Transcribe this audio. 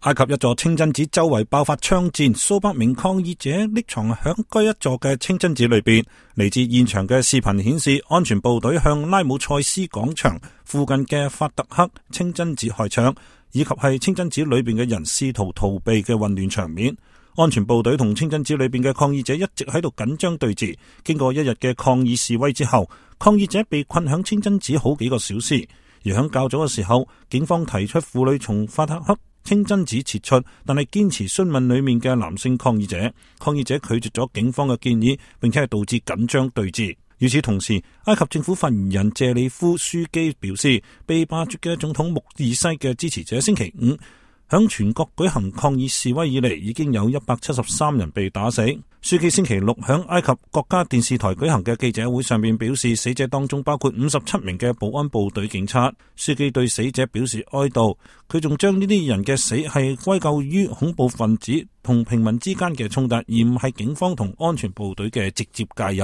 埃及一座清真寺周圍爆發槍戰，數百名抗議者匿藏響該一座嘅清真寺裏邊。嚟自現場嘅視頻顯示，安全部隊向拉姆塞斯廣場附近嘅法特克清真寺開槍，以及係清真寺裏邊嘅人試圖逃避嘅混亂場面。安全部隊同清真寺裏邊嘅抗議者一直喺度緊張對峙。經過一日嘅抗議示威之後，抗議者被困響清真寺好幾個小時。而響較早嘅時候，警方提出婦女從法特克清真寺撤出，但係堅持詢問裏面嘅男性抗議者。抗議者拒絕咗警方嘅建議，並且係導致緊張對峙。與此同時，埃及政府發言人謝里夫樞機表示，被罷黜嘅總統穆爾西嘅支持者星期五響全國舉行抗議示威以嚟，已經有173人被打死。樞機星期六響埃及國家電視台舉行嘅記者會上面表示，死者當中包括57名嘅保安部隊警察。樞機對死者表示哀悼，佢仲將呢啲人嘅死係歸咎於恐怖分子同平民之間嘅衝突，而唔係警方同安全部隊嘅直接介入。